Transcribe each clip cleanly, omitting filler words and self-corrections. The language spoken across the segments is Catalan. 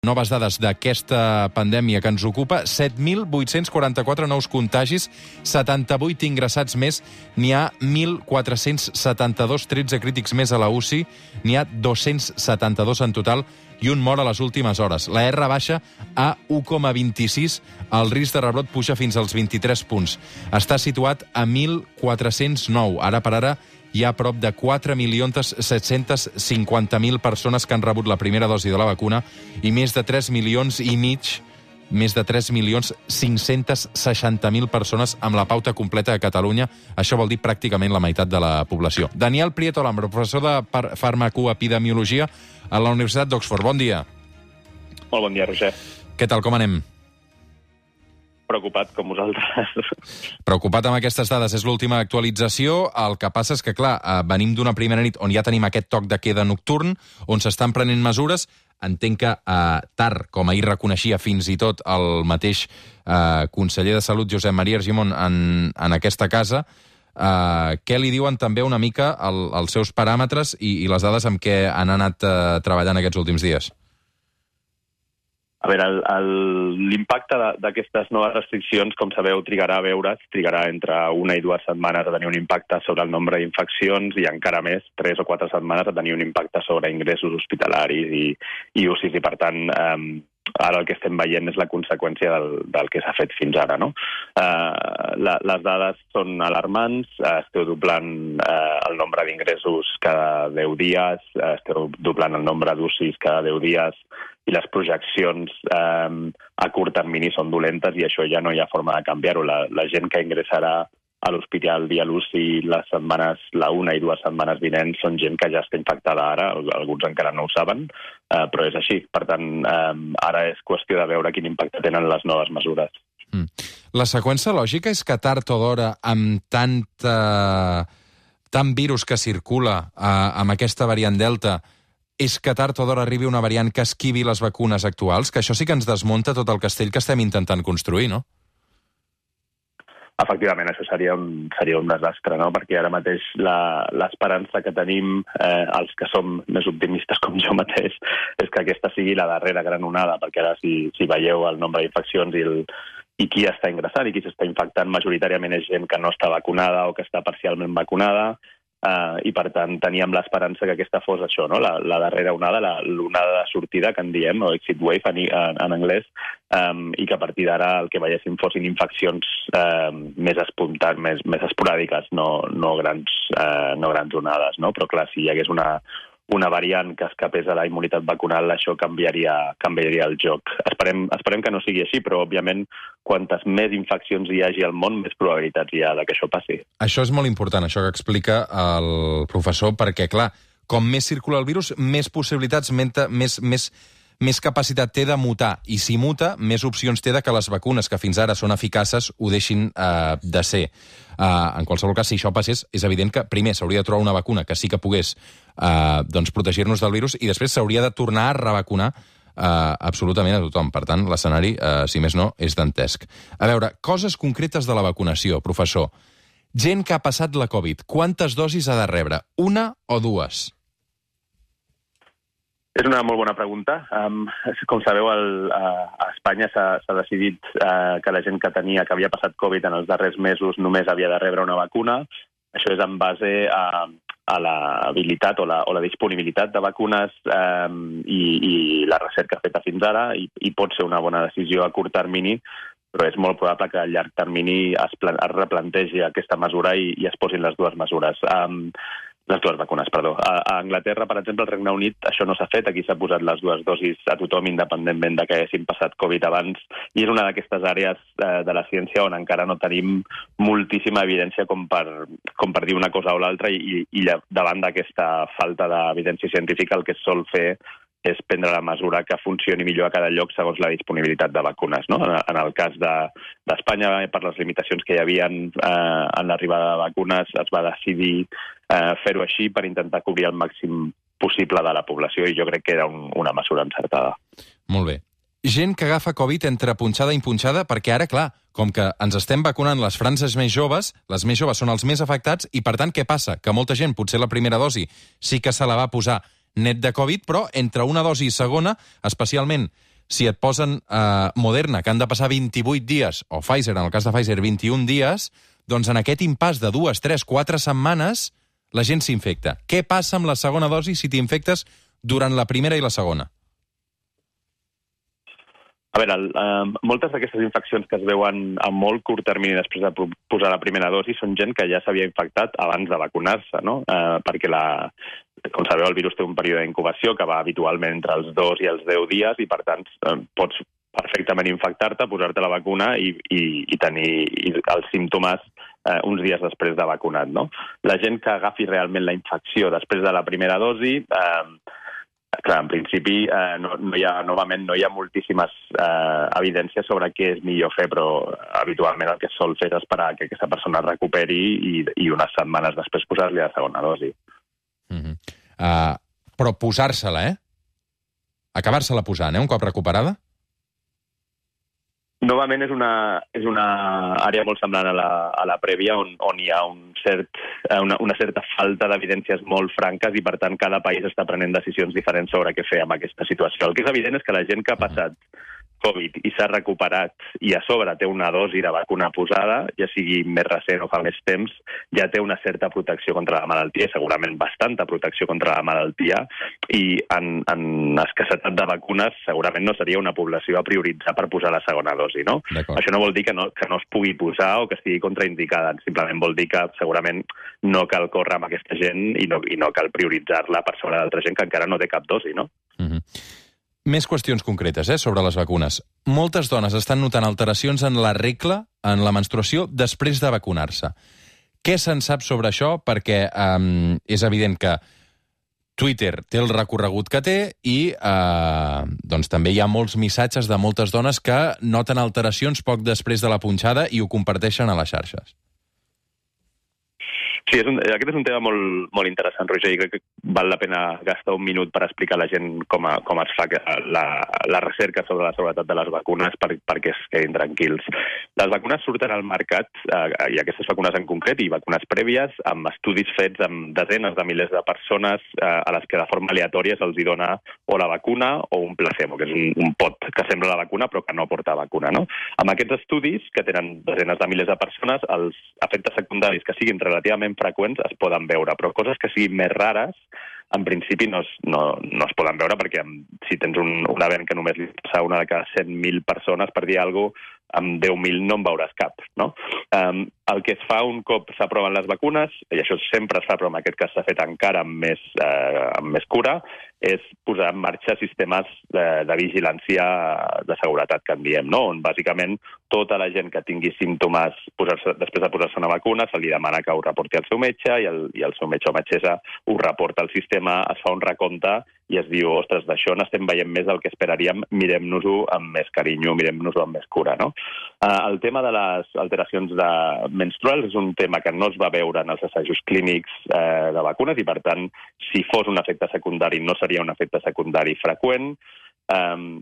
Noves dades d'aquesta pandèmia que ens ocupa, 7.844 nous contagis, 78 ingressats més, n'hi ha 1.472, 13 crítics més a la UCI, n'hi ha 272 en total i un mort a les últimes hores. La R baixa a 1,26, el risc de rebrot puja fins als 23 punts. Està situat a 1.409. Ara per ara hi ha prop de 4.750.000 persones que han rebut la primera dosi de la vacuna i més de 3,5 milions, més de 3.560.000 persones amb la pauta completa a Catalunya. Això vol dir pràcticament la meitat de la població. Daniel Prieto Lambro, professor de farmacoepidemiologia a la Universitat d'Oxford. Bon dia. Molt bon dia, Roger. Què tal, com anem? Preocupat, com vosaltres. Preocupat amb aquestes dades. És l'última actualització. El que passa és que, clar, venim d'una primera nit on ja tenim aquest toc de queda nocturn, on s'estan prenent mesures. Entenc que tard, com ahir reconeixia fins i tot el mateix conseller de Salut, Josep Maria Argimon, en aquesta casa, què li diuen també una mica els seus paràmetres i les dades amb què han anat treballant aquests últims dies? A veure, l'impacte d'aquestes noves restriccions, com sabeu, trigarà entre 1 i 2 setmanes a tenir un impacte sobre el nombre d'infeccions i encara més, 3 o 4 setmanes a tenir un impacte sobre ingressos hospitalaris i UCIs. I per tant, ara el que estem veient és la conseqüència del que s'ha fet fins ara, no? Les dades són alarmants, esteu doblant el nombre d'ingressos cada 10 dies, esteu doblant el nombre d'UCIs cada 10 dies, i les projeccions a curt termini són dolentes i això ja no hi ha forma de canviar-ho. La gent que ingressarà a l'hospital via l'UCI la 1 i 2 setmanes vinents són gent que ja està infectada ara, alguns encara no ho saben, però és així. Per tant, ara és qüestió de veure quin impacte tenen les noves mesures. La seqüència lògica és que tard o d'hora, amb tant virus que circula amb aquesta variant Delta, és que tard o d'hora arribi una variant que esquivi les vacunes actuals, que això sí que ens desmunta tot el castell que estem intentant construir, no? Efectivament, això seria un desastre, no? Perquè ara mateix l'esperança que tenim, els que som més optimistes com jo mateix, és que aquesta sigui la darrera gran onada, perquè ara si veieu el nombre d'infeccions i qui està ingressant i qui s'està infectant, majoritàriament és gent que no està vacunada o que està parcialment vacunada, i per tant teníem l'esperança que aquesta fos això, no? La darrera onada, l'onada de sortida que en diem, o exit wave en anglès, i que a partir d'ara el que veiéssim fossin infeccions més esporàdiques, no grans onades, no? Però clar, si hi hagués una variant que escapés a la immunitat vacunal, això canviaria el joc. Esperem que no sigui així, però, òbviament, quantes més infeccions hi hagi al món, més probabilitats hi ha que això passi. Això és molt important, això que explica el professor, perquè, clar, com més circula el virus, més possibilitats, més capacitat té de mutar. I si muta, més opcions té de que les vacunes, que fins ara són eficaces, ho deixin de ser. En qualsevol cas, si això passés, és evident que primer s'hauria de trobar una vacuna que sí que pogués protegir-nos del virus i després s'hauria de tornar a revacunar absolutament a tothom. Per tant, l'escenari, si més no, és dantesc. A veure, coses concretes de la vacunació, professor. Gent que ha passat la Covid, quantes dosis ha de rebre? 1 o 2? És una molt bona pregunta. Com sabeu, a Espanya s'ha decidit que la gent que havia passat Covid en els darrers mesos només havia de rebre una vacuna. Això és en base a l'habilitat o la disponibilitat de vacunes i la recerca feta fins ara, i pot ser una bona decisió a curt termini, però és molt probable que a llarg termini es replantegi aquesta mesura i es posin les dues mesures. Les dues vacunes, perdó. A Anglaterra, per exemple, al Regne Unit, això no s'ha fet. Aquí s'ha posat les dues dosis a tothom, independentment de que haguessin passat Covid abans, i és una d'aquestes àrees de la ciència on encara no tenim moltíssima evidència com per dir una cosa o l'altra, i davant d'aquesta falta d'evidència científica el que es sol fer és prendre la mesura que funcioni millor a cada lloc segons la disponibilitat de vacunes, no? En el cas d'Espanya, per les limitacions que hi havia en l'arribada de vacunes, es va decidir fer-ho així per intentar cobrir el màxim possible de la població, i jo crec que era una mesura encertada. Molt bé. Gent que agafa Covid entre punxada i punxada, perquè ara, clar, com que ens estem vacunant les franges més joves, les més joves són els més afectats, i per tant, què passa? Que molta gent, potser la primera dosi, sí que se la va posar net de Covid, però entre una dosi i segona, especialment si et posen Moderna, que han de passar 28 dies, o Pfizer, en el cas de Pfizer, 21 dies, doncs en aquest impàs de 2, 3, 4 setmanes la gent s'infecta. Què passa amb la segona dosi si t'infectes durant la primera i la segona? A veure, moltes d'aquestes infeccions que es veuen a molt curt termini després de posar la primera dosi són gent que ja s'havia infectat abans de vacunar-se, no? Perquè, com sabeu, el virus té un període d'incubació que va habitualment entre els 2 i els 10 dies i, per tant, pots perfectament infectar-te, posar-te la vacuna i tenir els símptomes uns dies després de vacunat, no? La gent que agafi realment la infecció després de la primera dosi... Clar, en principi novament no hi ha moltíssimes evidències sobre què és millor fer, però habitualment el que es sol fer és esperar que aquesta persona es recuperi i unes setmanes després posar-li la segona dosi. Però posar-se-la, acabar-se-la posant, un cop recuperada? Novament és una àrea molt semblant a la prèvia on hi ha una certa falta d'evidències molt franques i, per tant, cada país està prenent decisions diferents sobre què fer amb aquesta situació. El que és evident és que la gent que ha passat Covid i s'ha recuperat i a sobre té una dosi de vacuna posada, ja sigui més recent o fa més temps, ja té una certa protecció contra la malaltia, segurament bastanta protecció contra la malaltia, i en escassetat de vacunes segurament no seria una població a prioritzar per posar la segona dosi, no? Això no vol dir que no es pugui posar o que estigui contraindicada, simplement vol dir que segurament no cal córrer amb aquesta gent i no cal prioritzar-la per sobre d'altra gent que encara no té cap dosi, no? Més qüestions concretes sobre les vacunes. Moltes dones estan notant alteracions en la regla, en la menstruació, després de vacunar-se. Què se'n sap sobre això? Perquè és evident que Twitter té el recorregut que té i doncs també hi ha molts missatges de moltes dones que noten alteracions poc després de la punxada i ho comparteixen a les xarxes. Sí, aquest és un tema molt interessant, Roger, i crec que val la pena gastar un minut per explicar a la gent com es fa la recerca sobre la seguretat de les vacunes perquè es quedin tranquils. Les vacunes surten al mercat, i aquestes vacunes en concret, i vacunes prèvies, amb estudis fets amb desenes de milers de persones a les que de forma aleatòria se'ls dona o la vacuna o un placebo, que és un pot que sembla la vacuna però que no porta vacuna, no? Amb aquests estudis, que tenen desenes de milers de persones, els efectes secundaris que siguin relativament freqüents es poden veure, però coses que siguin més rares, en principi no es poden veure perquè si tens un event que només li passa una de cada 100.000 persones, per dir alguna cosa, amb 10.000 no en veuràs cap, no? El que es fa un cop s'aproven les vacunes, i això sempre es fa, però en aquest cas s'ha fet encara amb més cura, és posar en marxa sistemes de vigilància de seguretat, que en diem, no? On bàsicament tota la gent que tingui símptomes després de posar-se una vacuna se li demana que ho reporti al seu metge i el seu metge o metgessa ho reporta al sistema, es fa un recompte i es diu, ostres, d'això n'estem veient més del que esperaríem, mirem-nos-ho amb més carinyo, mirem-nos-ho amb més cura, no? El tema de les alteracions menstruals és un tema que no es va veure en els assajos clínics de vacunes i, per tant, si fos un efecte secundari no seria un efecte secundari freqüent,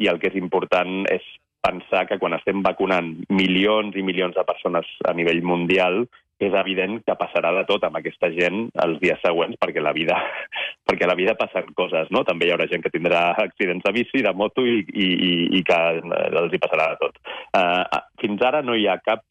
i el que és important és pensar que quan estem vacunant milions i milions de persones a nivell mundial és evident que passarà de tot amb aquesta gent els dies següents perquè a la vida passen coses, no? També hi haurà gent que tindrà accidents de bici, de moto i que els hi passarà de tot. Fins ara no hi ha cap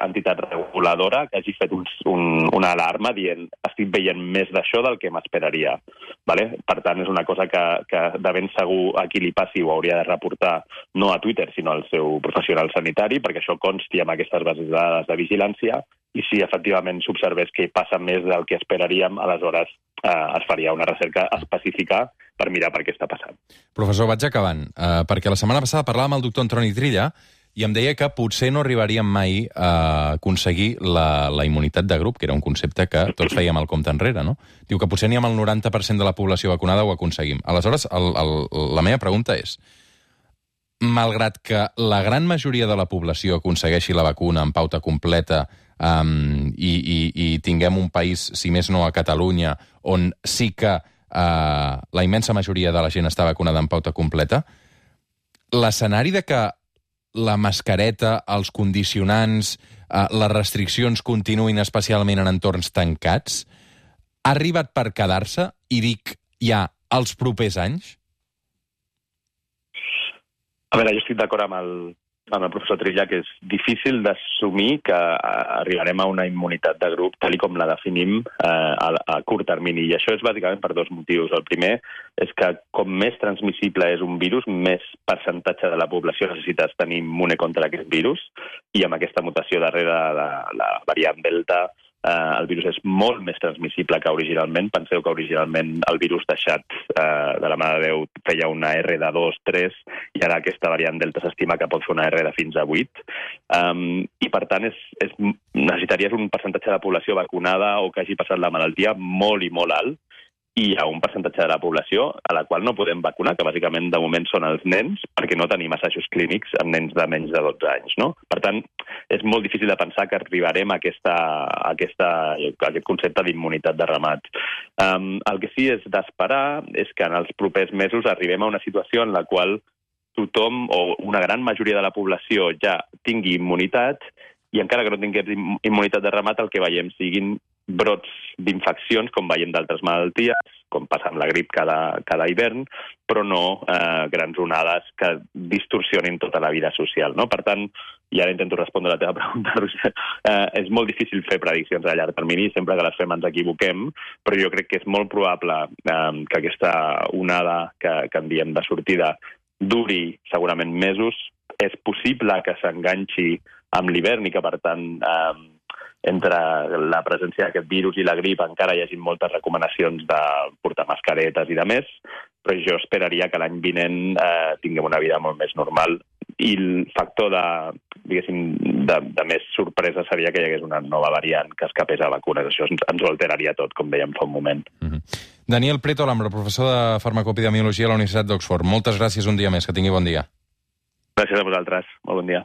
entitat reguladora que hagi fet una alarma dient estic veient més d'això del que m'esperaria. Vale? Per tant, és una cosa que de ben segur a qui li passi ho hauria de reportar no a Twitter, sinó al seu professional sanitari, perquè això consti amb aquestes bases de dades de vigilància, i si efectivament s'observés que passa més del que esperaríem, aleshores es faria una recerca específica per mirar per què està passant. Professor, vaig acabant, perquè la setmana passada parlàvem amb el doctor Antoni Trilla i em deia que potser no arribaríem mai a aconseguir la immunitat de grup, que era un concepte que tots fèiem el compte enrere, no? Diu que potser ni amb el 90% de la població vacunada ho aconseguim. Aleshores, la meva pregunta és, malgrat que la gran majoria de la població aconsegueixi la vacuna en pauta completa i tinguem un país, si més no a Catalunya, on sí que la immensa majoria de la gent està vacunada en pauta completa, l'escenari de que la mascareta, els condicionants, les restriccions continuïn especialment en entorns tancats, ha arribat per quedar-se, i dic ja, els propers anys? A veure, jo estic d'acord amb el professor Trilla que és difícil d'assumir que arribarem a una immunitat de grup tal com la definim a curt termini. I això és bàsicament per dos motius. El primer és que com més transmissible és un virus, més percentatge de la població necessita tenir immune contra aquest virus. I amb aquesta mutació darrere de la variant Delta, el virus és molt més transmissible que originalment. Penseu que originalment el virus deixat de la mà de Déu feia una R de 2, 3, i ara aquesta variant Delta s'estima que pot fer una R de fins a 8. I per tant necessitaries un percentatge de població vacunada o que hagi passat la malaltia molt i molt alt, i hi ha un percentatge de la població a la qual no podem vacunar, que bàsicament de moment són els nens, perquè no tenim assajos clínics en nens de menys de 12 anys, no? Per tant, és molt difícil de pensar que arribarem a aquest concepte d'immunitat de ramat. El que sí és d'esperar és que en els propers mesos arribem a una situació en la qual tothom o una gran majoria de la població ja tingui immunitat, i encara que no tinguem immunitat de ramat, el que veiem siguin brots d'infeccions, com veiem d'altres malalties, com passa amb la grip cada hivern, però no grans onades que distorsionin tota la vida social, no? Per tant, i ara intento respondre a la teva pregunta, Roger, és molt difícil fer prediccions a llarg termini, sempre que les fem ens equivoquem, però jo crec que és molt probable que aquesta onada que en diem de sortida duri segurament mesos. És possible que s'enganxi amb l'hivern i que, per tant, entre la presència d'aquest virus i la grip encara hi hagi moltes recomanacions de portar mascaretes i de més, però jo esperaria que l'any vinent tinguem una vida molt més normal, i el factor de més sorpresa seria que hi hagués una nova variant que escapés a vacunes. Això ens ho alteraria tot, com dèiem fa un moment. Daniel Prieto Alhambra, professor de farmacopidemiologia a la Universitat d'Oxford. Moltes gràcies un dia més. Que tingui bon dia. Gràcies a vosaltres. Molt bon dia.